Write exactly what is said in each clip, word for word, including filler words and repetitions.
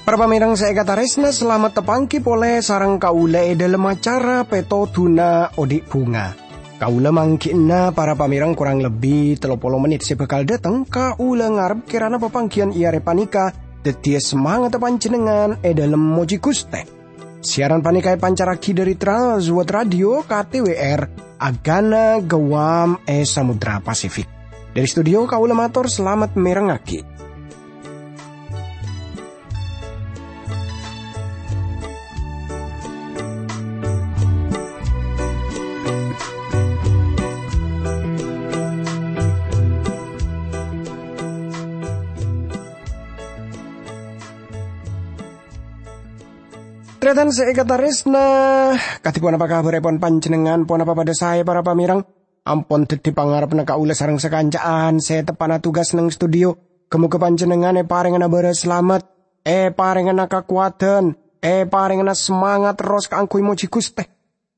Para pamèrèng sè èkatarèsna, salamet tapangghi polè sareng kaulâ è dhâlem acara Pètodhuna Odi' Bhunga. Kaulâ mangghi'na para pamèrèng korang lebbi tello polo mennit sè bhâkal dhâteng. Kaulâ ngarep kèrana papangghiyân è arè panèka dhâddhiyâ samangatta panjhennengngan è dhâlem mojhi Ghustè. Siaran panèka èpancarraghi dhâri Trans World Radio K T W R, Agana Guam è Samudra Pasifik. Dhâri studio kaulâ mator salamet mèrengngaghi. Tarètan sè èkatarèsna, kadhi ponapa kabhârèpon panjhennengngan? Ponapa padhâ saè, para pamèrèng? Ampon dhâddhi pangarebbhâ kaulâ sareng sakanca'an sè teppa'na tugas neng studio. Ghâ-moghâ panjhennengngan èparèngana bârâs salamet, èparèngana kakowadhân, èparèngana samangat terros kaangghuy mojhi Ghustè.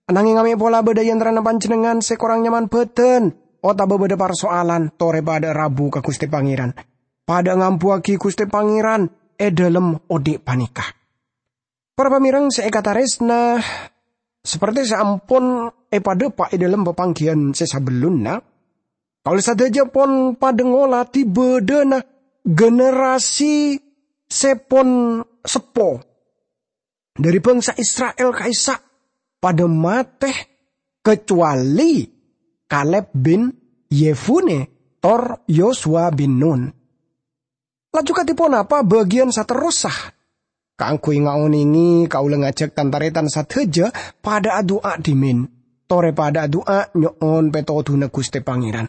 Ananghèng mè' pola bâdâ è antarana panjhennengngan sè korang nyaman bhâdhân, otabâ bâdâ parsoalan, torè padhâ'â rabu ka Ghustè Pangèran. Padhâ'â ngambuwâghi Ghustè Pangèran è dhâlem odi' panèka. Para pamèrèng sè èkatarèsna, saperti sè ampon èpadhâpa' è dhâlem papangghiyân sè sabellunna, kaulâ sadhâjâ pon padhâ ngolatè bâdâna generasi sè pon seppo. Dhâri bhângsa Isra'il ka'issa' padhâ matè, kacowalè Kaleb bin Yefune tor Yosua bin Nun. Laju kadhi ponapa bâgiyân saterrossa? Kaangghuy ngaonèngè, kaulâ ngajhâk tan-tarètan sadhâjâ padhâ adu'a dhimèn. Torè padhâ adu'a nyo'on pètodhuna Ghustè Pangèran.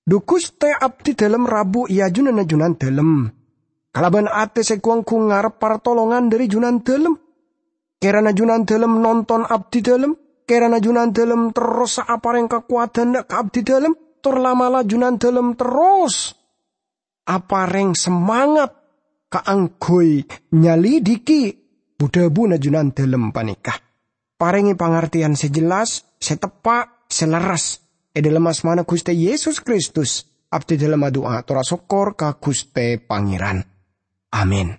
Dhu Ghustè, abdhidhâlem rabu è ajunanna Junandhâlem. Kalabân atè sè gu-ongghu ngarep partolongan dhâri Junandhâlem. Kèrana Junandhâlem nonton abdhidhâlem, kèrana Junandhâlem terrossa aparèng kakowadhân ka abdhidhâlem, tor la'-mala' Junandhâlem terros aparèng samangat kaangghuy nyalidhiki bu-dhâbuna Junandhâlem panèka. Parèngè pangartèyan sè jelas, sè teppa', sè lerres. È dhâlem asmana Ghustè Yesus Kristus, abdhidhâlem adu'a tor asokkor ka Ghustè Pangèran. Amin.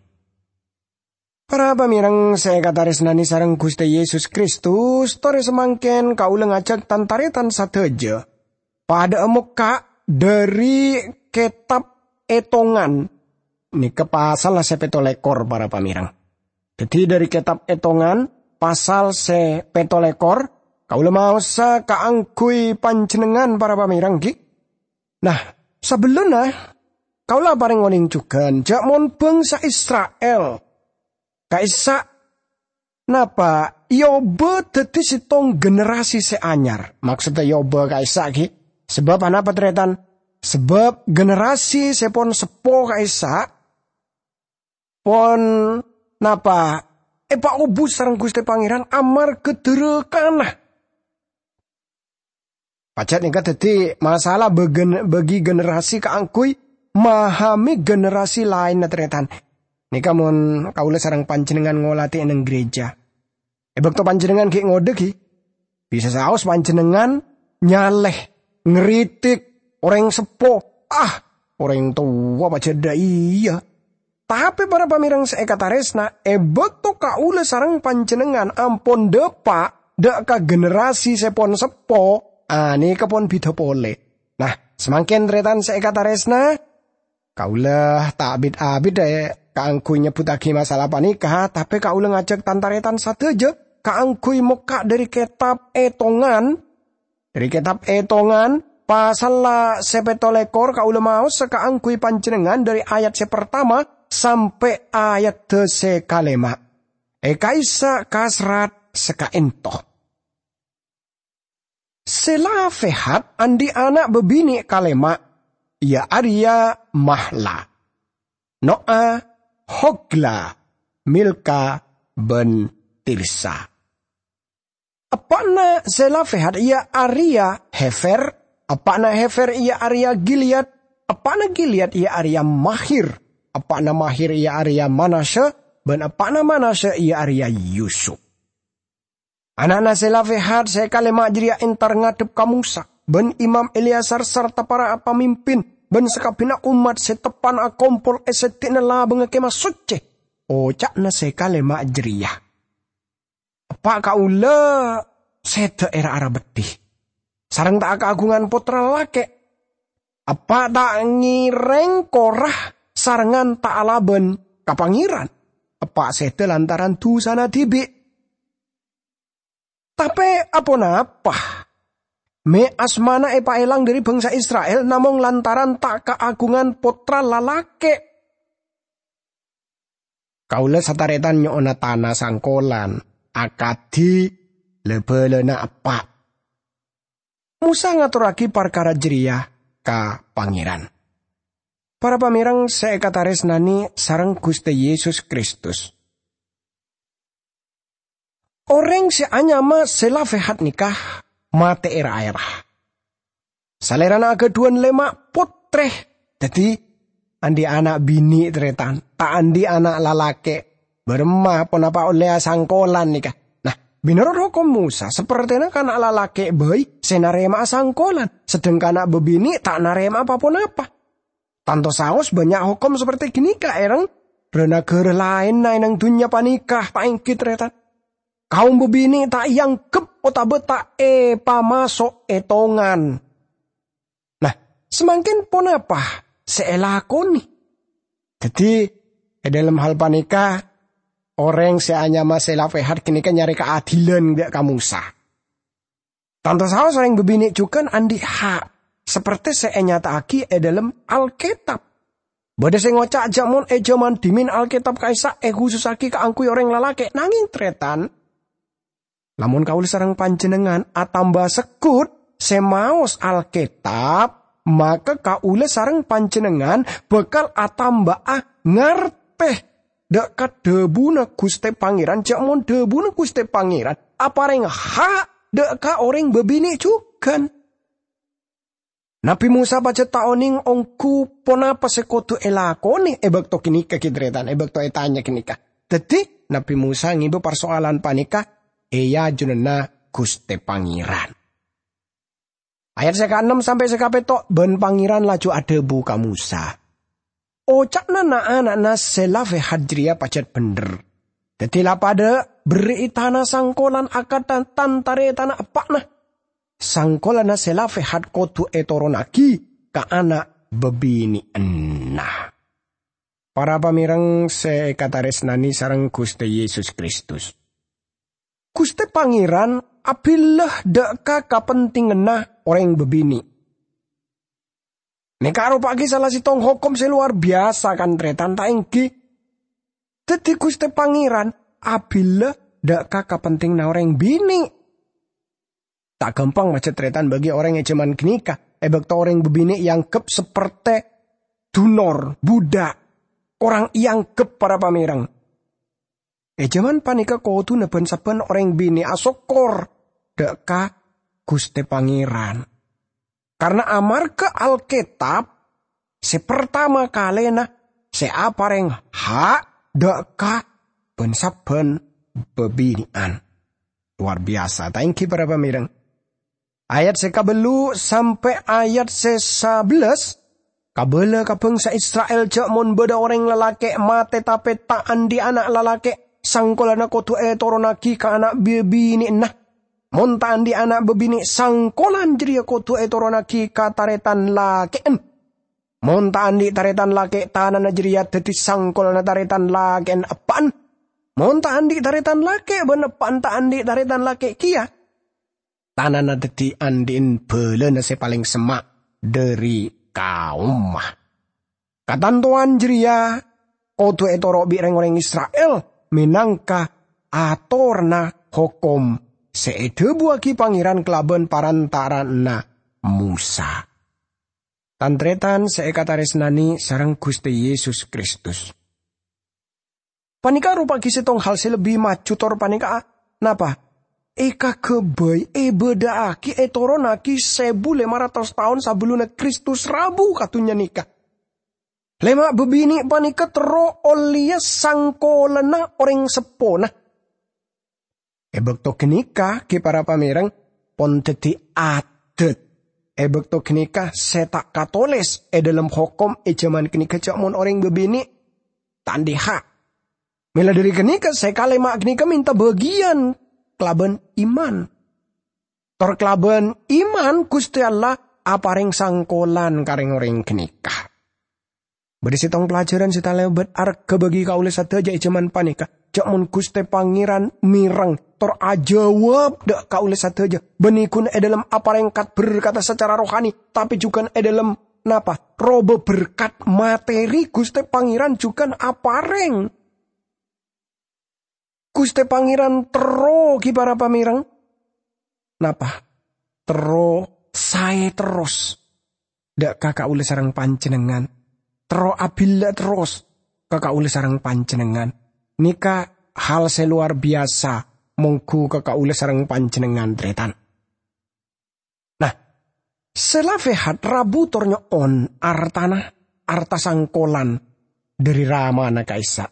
Para pamèrèng sè èkatarèsnanè sareng Ghustè Yesus Kristus, torè samangkèn kaulâ ngajhâk tan-tarètan sadhâjâ padhâ'â mokka' dhâri Kètab Ètongan, nèka pasalla sè pètto lèkor, para pamèrèng. Dhâddhi, dhâri Kètab Ètongan, pasal sè pètto lèkor, kaulâ maosa kaangghuy panjhennengngan, para pamèrèng, ghi. Nah, sabellunna, kaulâ aparèng onèng jhughân, jhâ' mon bhângsa Isra'il ka'issa' napa èobâ dhâddhi sèttong generasi sè anyar. Maksodda èobâ ka'issa', ghi. Sabâb anapa, tarètan? Sabâb generasi sè pon seppo ka'issa' pon napa èpaobus sareng Ghustè Pangèran amarghâ dhârâkana. Pajhât nèka dhâddhi masalah bâgen-, bâgi generasi kaangghuy mahami generasi laènna, tarètan. Nèka mon kaulâ sareng panjhennengngan ngolatè è neng gereja. È bâkto panjhennengngan ghi' ngodâ, ghi, bisa saos panjhennengngan nyalè, ngritik orèng seppo. Ah, orèng towa pajhât dâ' iyâ. Tapè para pamèrèng sè èkatarèsna, è bâkto kaulâ sareng panjhennengngan ampon dâpa' dâ' ka generasi sè pon seppo, anèka pon bhidhâ polè. Nah, samangkèn tarètan sè èkatarèsna, kaulâ ta' bit-abit, è, kaangghuy nyebbhuttaghi masalah panèka, tapè kaulâ ngajhâk tan-tarètan sadhâjâ kaangghuy mokka' dhâri Kètab Ètongan, dhâri Kètab Ètongan, pasalla sè pètto lèkor, kaulâ maosa kaangghuy panjhennengngan dhâri ayat sè partama sampè' ayadda sè kalèma'. È ka'issa' kaserrat sakaènto. Selafehad andi' ana' bâbinè' kalèma', iyâ arèya Mahla, No'a, Hogla, Milka, bân Tirsa. Eppa'na Selafehad iyâ arèya Hefer, eppa'na Hefer iyâ arèya Gilead, eppa'na Gilead iyâ arèya Mahir, eppa'na Mahir iyâ arèya Manasya, bân eppa'na Manasya, iyâ arèya Yusup. Ana'na Zelafehad sè kalèma' jârèya entar ngadhep ka Mosa, bân Imam Eleazar sarta para pamimpin, bân sakabbhiyânna ommat sè teppa'na akompol è seddi'na labângnga Kemah Soccè. Oca'na sè kalèma' jârèya, "Eppa' kaulâ sèdhâ èra-ara beddhi, sareng ta' akaagungan pottra lalakè'. Eppa' ta' ngèrèng kora sarengngan ta' alabân ka Pangèran. Eppa' sèdhâ lantaran dhusana dhibi'. Tapè aponapa mè' asmana èpaèlang dhâri bhângsa Isra'il namong lantaran ta' kaagungan pottra lalakè'? Kaulâ satarètan nyo'ona tana sangkolan, akadhi la-bhâlâna eppa'." Mosa ngatorragi parkara jârèya ka Pangèran. Para pamèreng sè èkatarèsnanè sareng Ghustè Yesus Kristus, orèng sè anyama Zelafehad nèka matè èra-èra. Salèrana aghâdhuwân lèma' pottrè, dhâddhi andi' ana' binè', tarètan, ta' andi' ana' lalakè'. Bârâmma ponapa ollè asangkolan nèka? Nah, mènorot hokom Mosa, sapertèna kana' lalakè' bhâi sè narèma'a sangkolan, sedheng kana' bâbinè' ta' narèma'a pa-ponapa. Tanto saos bânnya' hokom sapertè ghânèka èrèng ra-naghârâ laènna è nang dhunnya panèka, ta' ènggi, tarètan? Kaum bâbinè' ta' èangghep otabâ ta' èpamaso' ètongan. Nah, samangkèn ponapa sè èlakonè? Dhâddhi, è dhâlem hal panèka, orèng sè anyama Zelafehad ghânèka nyarè kaadilan dâ' ka Mosa. Tanto saos orèng bâbinè' jhughân andi' ha', sapertè sè ènyata'aghi è dhâlem Alkètab. Bâdâ sè ngoca' jâ' mon è jhâman dhimèn Alkètab ka'issa' èkhusussaghi kaangghuy orèng lalakè', nangèng, tarètan, lamon kaulâ sareng panjhennengngan atamba segghut sè maos Alkètab, maka kaulâ sareng panjhennengngan bhâkal atamba'a ngartè dâ' ka dhâbuna Ghustè Pangèran, jâ' mon dhâbuna Ghustè Pangèran aparèng ha' dâ' ka orèng bâbinè' jhughân. Nabbhi Mosa pajhât ta' onèng ongghu ponapa sè kodhu èlakonè è bâkto ghânèka, ghi, tarètan, è bâkto ètanya ghânèka. Dhâddhi, Nabbhi Mosa ngèbâ parsoalan panèka è ajunanna Ghustè Pangèran. Ayat sè kaennem sampè' sè kapètto', bân Pangèran laju adhâbu ka Mosa, "Oca'na na'-ana'na Zelafehad jârèya pajhât bhendher. Dhâddhi la padâ berri'i tana sangkolan akantha tan-tarètanna eppa'na. Sangkolanna Zelafehad kodhu ètoronnaghi ka ana' bâbinè'anna." Para pamèreng sè èkatarèsnanè sareng Ghustè Yesus Kristus, Ghustè Pangèran abhilâ dâ' ka kapentinganna orèng bâbinè'. Nèka aropa'aghi sala sèttong hokom sè lowar biyasa, kan, tarètan, ta' ènggi? Dhâddhi Ghustè Pangèran abhilâ dâ' ka kapentinganna orèng binè'. Ta' ghâmpang majâ tarètan bagi orèng è jhâman ghânèka, è bâkto orèng bâbinè' èangghep sapertè dunor, budhâk, korang èangghep, para pamèreng. È jhâman panèka kodhuna bân-sabbhân orèng binè' asokkor dâ' ka Ghustè Pangèran. Karna amarghâ Alkètab sè partama kalèna sè aparèng ha' dâ' ka bân-sabbhân bâbinè'an. Lowar biyasa, ta' ènggi, para pamèreng? Ayat sè kabâllu' sampè' ayat sè sabellâs, kabâlâ ka bhângsa Isra'il jâ' mon bâdâ orèng lalakè' matè tapè ta' andi' ana' lalakè', sangkolanna kodhu ètoronnaghi ka ana' bâbinè'anna. Mon ta' andi' ana' bâbinè', sangkolan jârèya kodhu ètoronnaghi ka tarètan lakè'an. Mon ta' andi' tarètan lakè', tanana jârèya dhâddhi sangkolanna tarètan lakè'an eppa'na. Mon ta' andi' tarètan lakè' bân eppa'na ta' andi' tarètan lakè' kèya, tanana dhâddhi andi'na bhâlâna sè palèng semma' dhâri kaomma. Katantowan jârèya kodhu ètoro' bi' rèng-orèng Isra'il mènangka atoranna hokom sè èdhâbuwaghi Pangèran kalabân parantara'anna Mosa. Tan-tarètan sè èkatarèsnanè sareng Ghustè Yesus Kristus, panèka aropa'aghi sèttong hal sè lebbi maju tor panèka, napa? Èkaghâbây, èbâdâ'aghi, ètoronnaghi sèbu lèma ratos taon sabellunna Kristus rabu ka dhunnya nèka. Lèma' bâbinè' panèka terro ollèya sangkolanna orèng seppona. È bâkto ghânèka, ghi para pamèrèng, pon dhâddhi adat. È bâkto ghânèka sè ta' katolès è dhâlem hokom è jhâman ghânèka jhâ' mon orèng bâbinè' ta' andiha. Mèla dhâri ghânèka sè kalèma' ghânèka mènta bâgiyân kalabân iman. Tor kalabân iman Ghustè Allah aparèng sangkolan ka rèng-orèng ghânèka. Bâdâ sèttong pelajaran sè talèbât arghâ bagi kaulâ sadhâjâ è jhâman panèka. Jhâ' mon Ghustè Pangèran mèreng, tor ajâwâb dâ' kaulâ sadhâjâ, bânnè ghun è dhâlem aparèng kat-berkat sacara rohani, tapè jhughân è dhâlem napa? Robâ berkat materi Ghustè Pangèran jhughân aparèng. Ghustè Pangèran terro ghi para pamèrèng. Napa? Terro saè terros dâ' ka kaulâ sareng panjhennengngan. Terro abhilâ terros ka kaulâ sareng panjhennengngan. Nèka hal sè lowar biyasa mongghu ka kaulâ sareng panjhennengngan, tarètan. Nah, Selafehad rabu tor nyo'on artana, arta sangkolan dhâri ramana ka'issa'.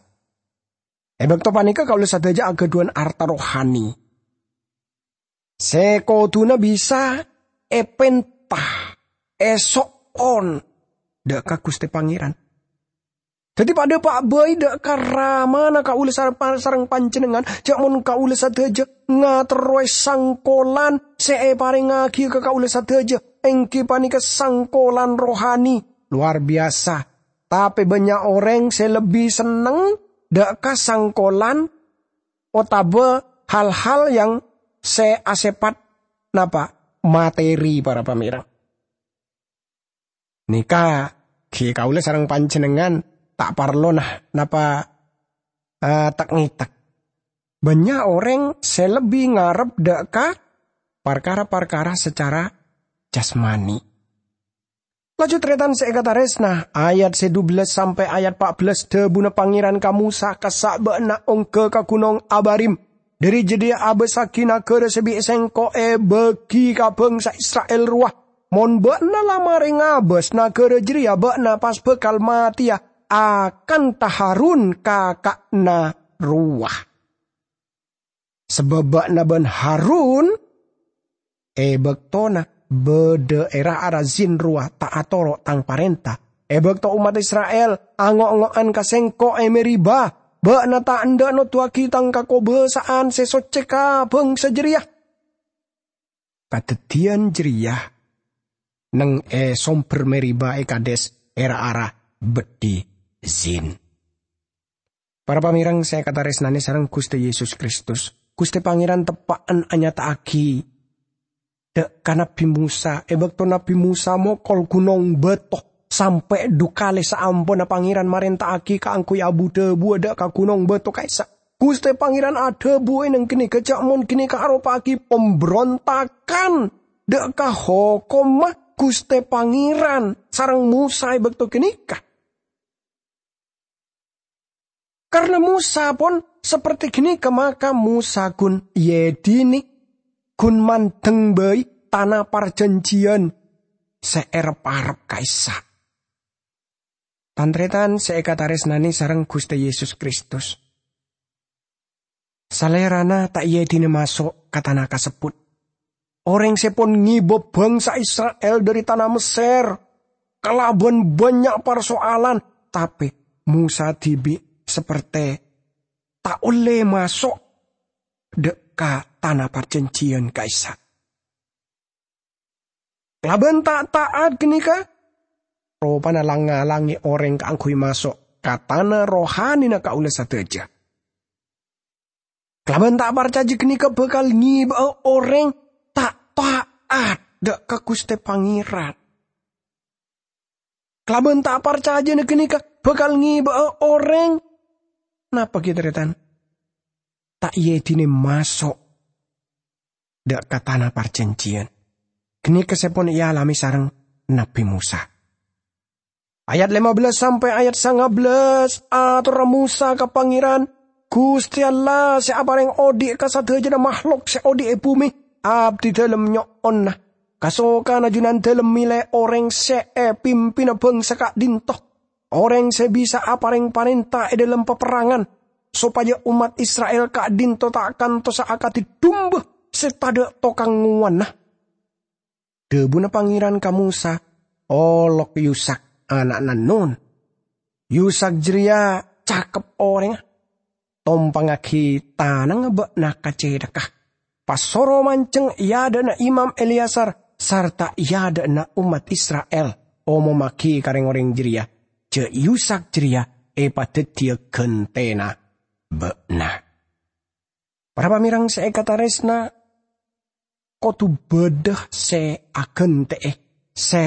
È bâkto panèka kaulâ sadhâjâ aghâdhuwân arta rohani sè kodhuna bisa èpènta, èso'on dâ' ka Ghustè Pangèran. Dhâddhi padâ pa' bhâi dâ' ka ramana kaulâ sar-, sareng panjhennengngan, jhâ' mon kaulâ sadhâjâ ngaterrowè sangkolan sè èparèngngaghi ka kaulâ sadhâjâ, èngghi panèka sangkolan rohani lowar biyasa. Tapè bânnya' orèng sè lebbi senneng dâ' ka sangkolan otabâ hal-hal yang sè asèpat napa? Materi, para pamèrèng. Nèka, ghi kaulâ sareng panjhennengngan ta' parlo na-, napa, eh, tek-ngètek. Bânnya' orèng sè lebbi ngarep dâ' ka parkara-parkara sacara jasmani. Laju tarètan sè èkatarèsna, ayat sè dubellâs sampè' ayat pa' bellâs dhâbuna Pangèran ka Mosa, "Kassa' bâ'na ongghâ ka Ghunong Abarim. Dhâri jâdiyâ abâssaghi naghârâ sè bi' Sèngko' èbâgi ka bhângsa Isra'il rowa. Mon bâ'na la marè ngabâs naghârâ jârèya, bâ'na pas bhâkal matèya akanta Harun kaka'na rowa. Sabâb bâ'na bân Harun è bâktona bâdâ è ra-ara zin rowa ta' atoro' Tang parènta. È bâkto ommat Isra'il ango'-ngo'an ka Sèngko' è Meriba, bâ'na ta' endâ' noduwâghi Tang kakobâsa'an sè soccè ka bhângsa jârèya." Kadhâddhiyân jârèya neng è sombher Meriba è Kades è ra-ara beddhi Zin. Para pamèrèng sè èkatarèsnanè sareng Ghustè Yesus Kristus, Ghustè Pangèran teppa'an anyata'aghi dâ' ka Nabbhi Mosa è bâkto Nabbhi Mosa mokol ghunong bâto sampè' dhu kalè saamponna Pangèran marènta'aghi kaangghuy abu-dhâbuwâ dâ' ka ghunong bâto ka'issa'. Ghustè Pangèran adhâbu è neng ghânèka jhâ' mon ghânèka aropa'aghi pambrontagan dâ' ka hokomma Ghustè Pangèran sareng Mosa è bâkto ghânèka. Karna Mosa pon saperti ghânèka, maka Mosa ghun èèdinè, ghun mandeng bhâi tana parjhânjhiyân sè èrep-arep ka'issa'. Tan-tarètan sè èkatarèsnanè sareng Ghustè Yesus Kristus, Salèrana ta' èèdinè maso' ka tana kasebbhut. Orèng sè pon ngèbâ bhângsa Isra'il dhâri tana Messèr kalabân bânnya' parso'alan, tapè Mosa dhibi' sapertè ta' ollè maso' dâ' ka tana parjhânjhiyân ka'issa'. Kalabân ta'-ta'at ghânèka, ropana lang-ngalangè orèng kaangghuy maso' ka tana rohanina kaulâ sadhâjâ. Kalabân ta' parcajâ ghânèka bhâkal ngèbâ'â orèng ta' ta'at dâ' ka Ghustè Pangèran. Kalabân ta' parcajâna ghânèka bhâkal ngèbâ'â orèng, napa ghi, tarètan? Ta' èèdinè maso' dâ' ka tana parjhânjhiyân. Ghânèka sè pon èalamè sareng Nabbhi Mosa. Ayat lèma bellâs sampè' ayat sanga bellâs, atorra Mosa ka Pangèran, "Ghustè Allah sè aparèng odi' ka sadhâjâna mahlok sè odi' è bhumè, abdhi dhâlem nyo'ona, kasokanna Junandhâlem mèlè orèng sè èpimpina bhângsa ka'dinto. orèng sè bisa aparèng parènta è dhâlem paperrangan, sopajâ ommat Isra'il ka'dinto ta' kantosa akadhi dumba sè tadâ' tokang ngowanna. Dhâbuna Pangèran ka Mosa, "Olok Yusak, ana'na Nun. Yusak jârèya cakep orèngnga. Tompangngaghi tanangnga bâ'na ka cèthakka. Pas soro manjheng è adâ'na Imam Eleazar sarta è adâ'na ommat Isra'il, omommaghi ka rèng-orèng jârèya jâ' Yusak jârèya èpadhâddhiyâ ghântèna bâ'na." Para pamèreng sè èkatarèsna, kodhu bâdâ sè aghântè'è, sè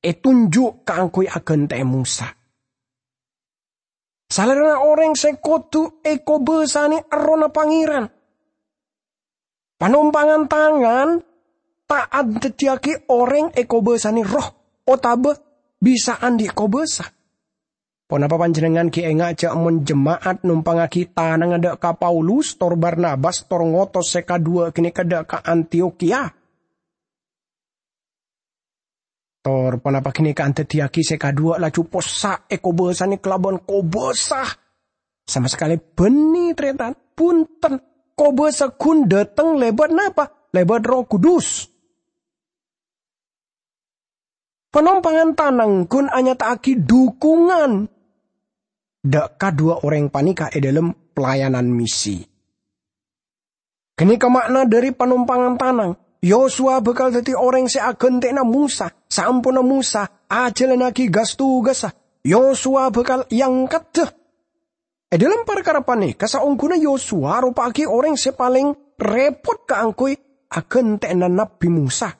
ètonjhu' kaangghuy aghântè'è Mosa. Salèrana orèng sè kodhu èkobâsanè Errohna Pangèran. Panompangan tangan ta' adhâddhiyâghi orèng èkobâsanè roh otabâ bisa andi' kobâsa. Ponapa panjhennengngan ghi' enga' jâ' mon jema'at nompangngaghi tanangnga dâ' ka Paulus tor Barnabas tor ngotos sè kaduwâ' ghânèka dâ' ka Antiyokhiya? Tor ponapa ghânèka adhâddhiyâghi sè kaduwâ' laju possa' èkobâsanè kalabân kobâsa? Sama sakalè bânnè, tarètan. Bhunten, kobâsa ghun dâteng lèbât napa? Lèbât Erroh Kudus. Panompangan tanang ghun anyata'aghi dhukungan dâ' kaduwâ orèng panèka è dhâlem pelayanan misi. Ghânèka ma'na dhâri panompangan tanang. Yosua bhâkal dhâddhi orèng sè aghântè'ana Mosa. Saamponna Mosa ajhâlannaghi gas-tugassa, Yosua bhâkal èangkaddhâ. È dhâlem parkara panèka, saongghuna Yosua aropa'aghi orèng sè palèng rèpot kaangghuy aghântè'ana Nabbhi Mosa.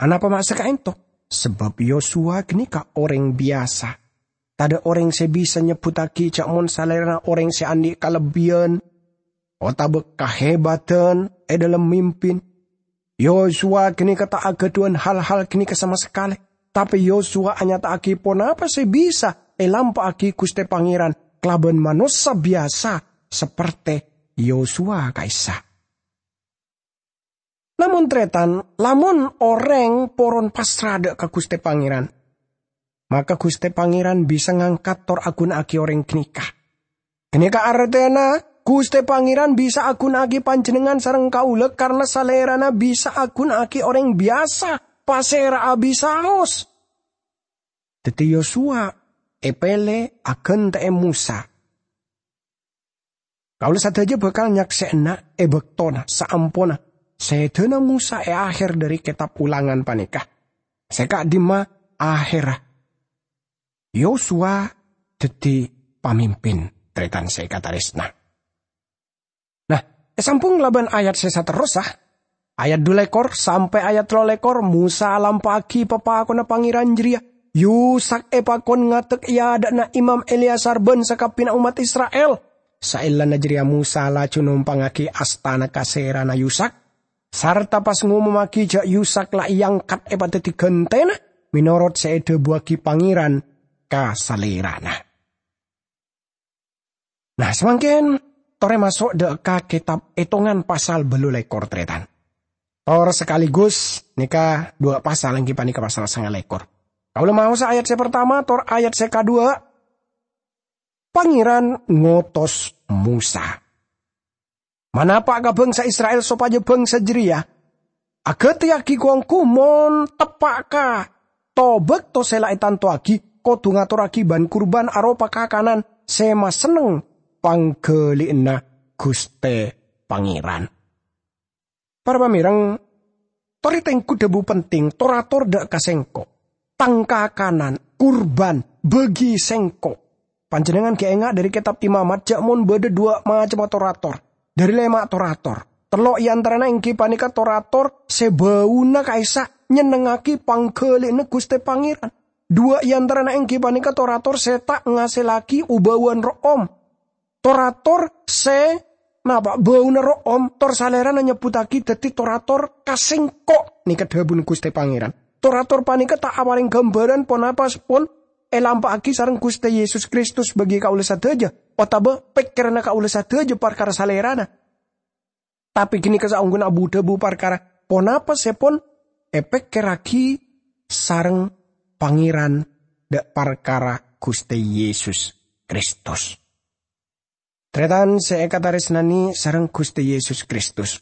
Anapa ma' sè ka'ènto? Sabâb Yosua ghânèka orèng biyasa, tadâ' orèng sè bisa nyebbhuttaghi jâ' mon salèrana orèng sè andi' kalebbiyân otabâ kahèbadhân è dhâlem mimpin. Yosua ghânèka ta' aghâdhuwân hal-hal ghânèka sama sakalè, tapè Yosua anyata'aghi ponapa sè bisa èlampa'aghi Ghustè Pangèran kalabân manossa biyasa saperte Yosua ka'issa'. Lamon tarètan, lamon orèng poron pasra dâ' ka Ghustè Pangèran, maka Ghustè Pangèran bisa ngangkat tor aghuna'aghi orèng ghânèka. Ghânèka artèna Ghustè Pangèran bisa aghuna'aghi panjhennengngan sareng kaulâ karna Salèrana bisa aghuna'aghi orèng biyasa, pasèra'a bisaos. Dhâddhi Yosua èpèlè aghântè'è Mosa. Kaulâ sadhâjâ bhâkal nyaksè'ana è bâktona saamponna sèdhâna Mosa è aher dhâri Kètab Ulangan panèka, sè ka'dimma aherra Yosua dhâddhi pamimpin, tarètan sè èkatarèsna. Nah, èsambhung kalabân ayat sè saterrossa, ayat dhu lèkor sampè' ayat tello lèkor, Mosa alampa'aghi papakonna Pangèran jârèya. Yusak èpakon ngadek è adâ'na Imam Eleazar bân sakabbhiyânna ommat Isra'il. Saellana jârèya Mosa laju nompangngaghi astana ka sèrana Yusak, sarta pas ngomommaghi jâ' Yusak la èangkat èpadhâddhi ghântèna, mènorot sè èdhâbuwâghi Pangèran ka salèrana. Nah, samangkèn torè maso' dâ' ka kètab Ètongan pasal bâllu lèkor, tarètan. Tor sakaligus nèka dhuwâ' pasal, èngghi panèka pasal sanga lèkor. Kaulâ maosa ayat sè partama tor ayat sè kaduwâ'. Pangèran ngotos Mosa. Manapa' ka bhângsa Isra'il sopajâ bhângsa jârèya aghâtèyaghi ghu-ongghu mon teppa' ka to-bâkto sè la ètantowaghi, kodhu ngatorraghi bân-kurbân aropa kakanan sè masenneng pangghâli'ânna Ghustè Pangèran. Para pamèreng, torè tengghu dhâbu penting, tor-ator dâ' ka sèngko'. Tang kakanan, kurbân, bâgi sèngko'. Panjhennengngan ghi' enga' dhâri Kètab Imamat jâ' mon bâdâ dhuwâ' macemma tor-ator. Dhâri lèma' tor-ator. Tello' è antarana èngghi panèka tor-ator sè bâuna ka'issa' nyennengngaghi pangghâli'ânna Ghustè Pangèran. Dhuwâ' è antarana èngghi panèka tor-ator sè ta' ngasèllaghi obâuwân ro'om. Tor-ator sè napa' bâuna ro'om, tor salèrana nyebbhuttaghi dhâddhi tor-ator ka sèngko', nèka dhâbuna Ghustè Pangèran. Tor-ator panèka ta' aparèng ghâmbhârân ponapa sè pon èlampa'aghi sareng Ghustè Yesus Kristus bâgi kaulâ sadhâjâ, otabâ pèkkèranna kaulâ sadhâjâ parkara salèrana. Tapè ghânèka saongghuna abu-dhâbu parkara ponapa sè pon èpèkkèrraghi sareng Pangèran dâ' parkara Ghustè Yesus Kristus. Tarètan sè èkatarèsnanè sareng Ghustè Yesus Kristus.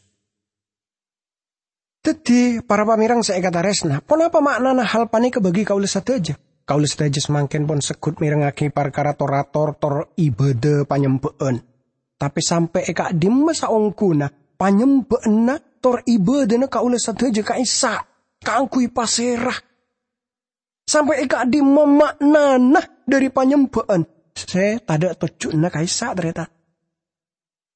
Dhâddhi, para pamèrèng sè èkatarèsna, ponapa ma'nana hal panèka bagi kaulâ sadhâjâ? Kaulâ sadhâjâ samangkèn pon segghut mèrengngaghi parkara tor-ator tor ibâdâ panyembhâ'ân. Tapè sampè' è ka'dimma saongghuna panyembhâ'ânna tor ibâdâna kaulâ sadhâjâ ka'issa' kaangghuy pasèra? Sampè' è ka'dimma ma'nana dhâri panyembhâ'ân sè tadâ' tojjhuna ka'issa', tarètan?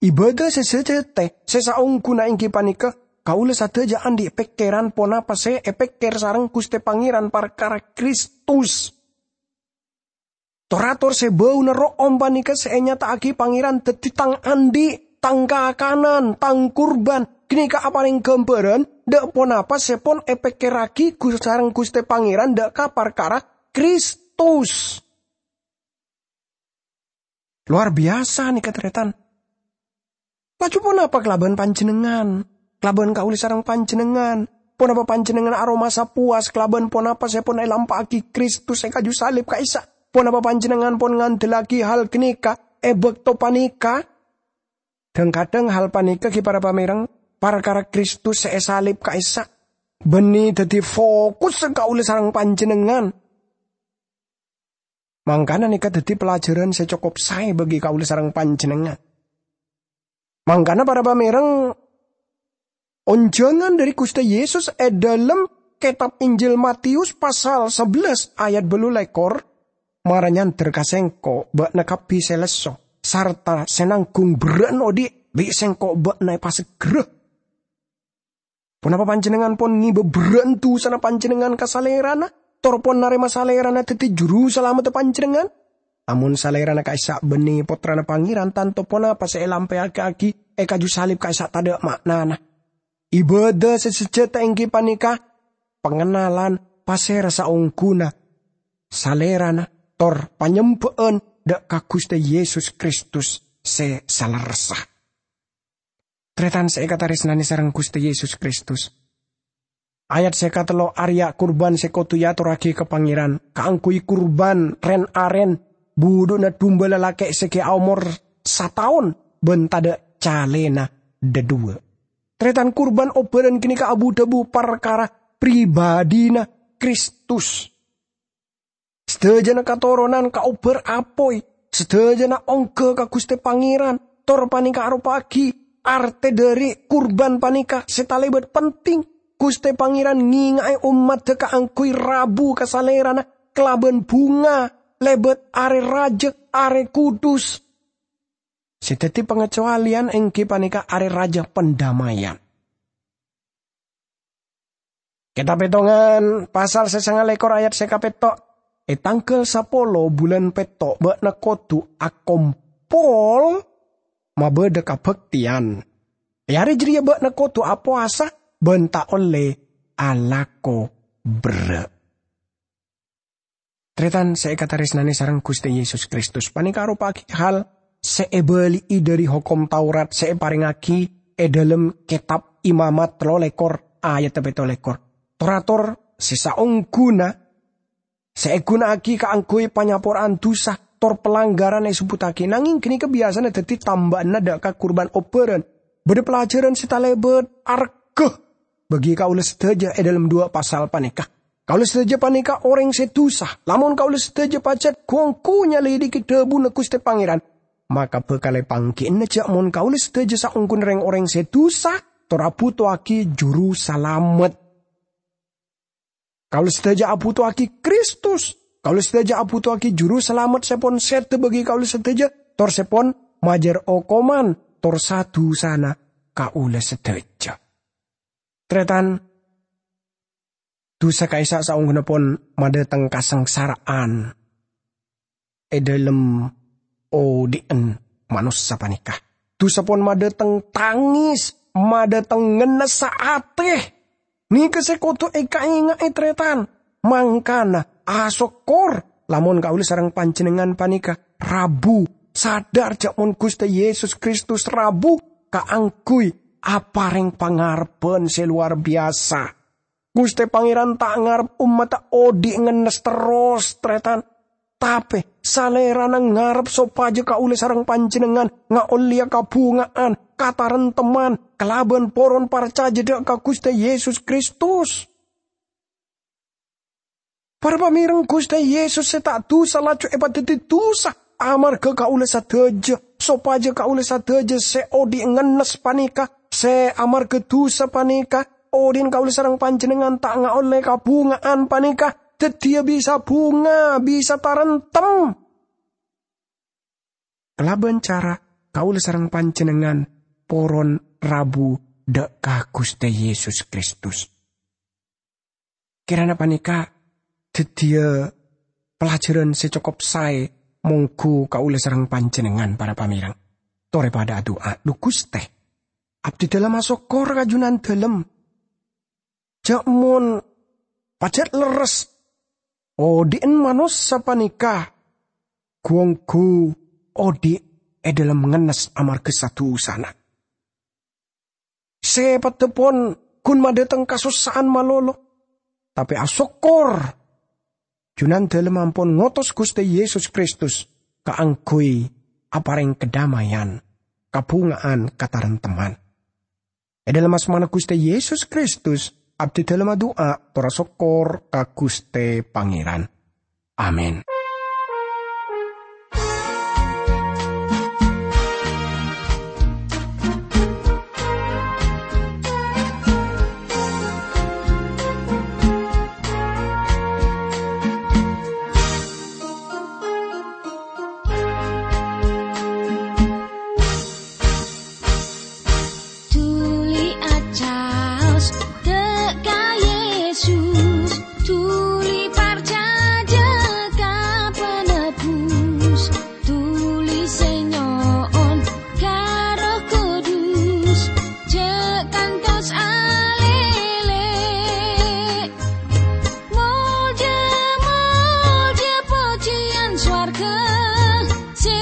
Ibâdâ sè sajâtè, sè saongghuna èngghi panèka kaulâ sadhâjâ andi' pèkkèran ponapa sè èpèkkèr sareng Ghustè Pangèran parkara Kristus. Tor-ator sè bâuna ro'om panèka sè ènyata'aghi Pangèran dhâddhi tang andi', tang kakanan, tang kurban, ghânèka aparèng ghâmbhârân dâ' ponapa sè pon èpèkkèrraghi Gus-, sareng Ghustè Pangèran dâ' ka parkara Kristus. Lowar biyasa nèka, tarètan. Laju ponapa kalabân panjhennengngan? Kalabân kaulâ sareng panjhennengngan. Ponapa panjhennengngan aromasa powas kalabân ponapa sè pon èlampa'aghi Kristus è kaju salib ka'issa'? Ponapa panjhennengngan pon ngandellaghi hal ghânèka è bâkto panèka? Dhâng-kadhâng hal panèka ghi para pamèrèng, parkara Kristus sè èsalib ka'issa', bânnè dhâddhi fokus kaulâ sareng panjhennengngan. Mangkana nèka dhâddhi pelajaran sè cokop saè bagi kaulâ sareng panjhennengngan. Mangkana para pamèrèng, onjhângan dhâri Ghustè Yesus è dhâlem kètab Injil Matius pasal sabellâs ayat bâllu lèkor, mara nyandher ka sèngko' bâ'na kabbhi sè lesso sarta sè nangghung berrâ'na odi', bi' sèngko' bâ'na èpasegghârâ. Ponapa panjhennengngan pon ngèbâ berrâ'na dhusana panjhennengngan ka Salèrana, tor pon narèma Salèrana dhâddhi Juru Salameddhâ panjhennengngan? Amon Salèrana ka'issa' bânnè Pottrana Pangèran, tanto ponapa sè èlampa'aghi è kaju salib ka'issa' tadâ' ma'nana. Ibâdâ sè sajâtè èngghi panèka pangennalan pasèra saongghuna Salèrana, tor panyembhâ'ân dâ' ka Ghustè Yesus Kristus sè salerressa. Tarètan sè èkatarèsnanè sareng Ghustè Yesus Kristus. Ayat sè katello arèya kurban sè kodhu èatorraghi ka Pangèran kaangghuy kurban ren-aren budhu'na dumba lalakè' sè ghi' aomor sataon bân tadâ' calèna dhâduwâ'. Tarètan, kurban obhârân ghânèka abu-dhâbu parkara pribadhina Kristus. Sadhâjâna katoronan kaobhâr apoy, sadhâjâna ongghâ ka Ghustè Pangèran, tor panèka aropa'aghi artè dhâri kurban panèka sè talèbât penting. Ghustè Pangèran ngènga'è ommaddhâ kaangghuy rabu ka Salèrana kalabân bhunga, lèbât arè rajâ, arè kudus. Sè dhâddhi pangacowalèyan èngghi panèka arè rajâ pandamaian. Kètab Pètongan, pasal sè sanga lèkor ayat sè kapètto', "È tangghâl sapolo bulân pètto' bâ'na kodhu akompol mabâdâ kabhâktèyan. È arè jârèya bâ'na kodhu apowasa bân ta' ollè alako berrâ'." Tarètan sè èkatarèsnanè sareng Ghustè Yesus Kristus, panèka aropa'aghi hal sè èbâli'i dhâri Hokom Taurat sè èparèngaghi è dhâlem Kètab Imamat tello lèkor ayat pètto lèkor. Tor-ator sè saongghuna sè èghuna'aghi kaangghuy panyapora'an dhusa tor palangghârân èsebbhuttaghi, nangèng ghânèka biyasana dhâddhi tambâ'ânna dâ' ka kurban obhârân. Bâdâ pelajaran sè talèbât arghâ bagi kaulâ sadhâjâ è dhâlem duwâ' pasal panèka. Kaulâ sadhâjâ panèka orèng sè dhusa. Lamon kaulâ sadhâjâ pajhât ghu-ongghu nyalèdhighi dhâbuna Ghustè Pangèran, maka bhâkal èpangghi'âna jhâ' mon kaulâ sadhâjâ saongghuna rèng-orèng sè dhusa tor abhuto'aghi Juru Salamet. Kaulâ sadhâjâ abhuto'aghi Kristus. Kaulâ sadhâjâ abhuto'aghi Juru Salamet sè pon sèdhâ bagi kaulâ sadhâjâ, tor sè pon majâr okoman tor sa-dhusana kaulâ sadhâjâ. Tarètan, dhusa ka'issa' saongghuna pon madhâteng kasangsara'an è dhâlem odi'ân manossa panèka. Dhusa pon madhâteng tangès, madhâteng ngennessa atè. Nèka sè kodhu èkaènga'è, tarètan. Mangkana, asokkor lamon kaulâ sareng panjhennengngan panèka rabu, sadhâr jhâ' mon Ghustè Yesus Kristus rabu kaangghuy aparèng pangarebbhân sè lowar biyasa. Ghustè Pangèran ta' ngarep ommadhâ odi' ngennes terros, tarètan. Tapè, Salèrana ngarep sopajâ kaulâ sareng panjhennengngan ngaollèya kabhungaan, kataremtemman, kalabân poron parcajâ dâ' ka Ghustè Yesus Kristus. Para pamèreng, Ghustè Yesus sè ta' dusa laju èpadhâddhi dusa amarghâ kaulâ sadhâjâ, sopajâ kaulâ sadhâjâ sè odi' ngennes panèka, sè amarghâ dusa panèka, odi'na kaulâ sareng panjhennengngan ta' ngaollè kabhungaan panèka, dhâddhiyâ bisa bhunga, bisa taremtem. Kalabân cara kaulâ sareng panjhennengngan poron rabu dâ' ka Ghustè Yesus Kristus. Kèrana panèka dhâddhiyâ pelajaran sè cokop saè mongghu kaulâ sareng panjhennengngan, para pamèreng. Torè padâ adu'a, "Dhu Ghustè, abdhidhâlem asokkor ka Jhunandhâlem. Jhâ' mon pajhât lerres, odi'na manossa panèka ghu-ongghu odi' è dhâlem ngennes amarghâ sa-dusana. Sè peddhâ pon ghun madhâteng kasossa'an malolo. Tapè asokkor, Jhunandhâlem ampon ngotos Ghustè Yesus Kristus kaangghuy aparèng kadhâmâyan, kabhungaan, kataremtemman." È dhâlem asmana Ghustè Yesus Kristus, abdhidhâlem adu'a, tor asokkor ka Ghustè Pangèran. Amin. Dhuli acaos dâ' ka Yesus, dhuli parcajâ ka Penebus, dhuli sè nyo'on ka Erroh Kudus, jhâ' kantos alèlè. Molja, molja, pojhiyân sowarghâ sè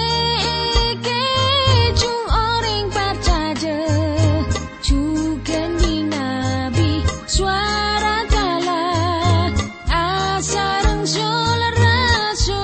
èkèjhung orèng parcajâ, jhughân bi-nabi sowara kala asareng sul-rasul.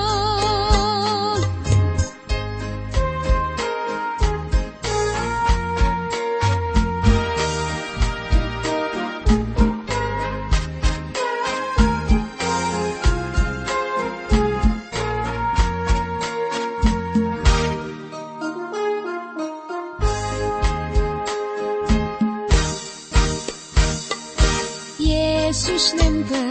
Yesus nèmbâ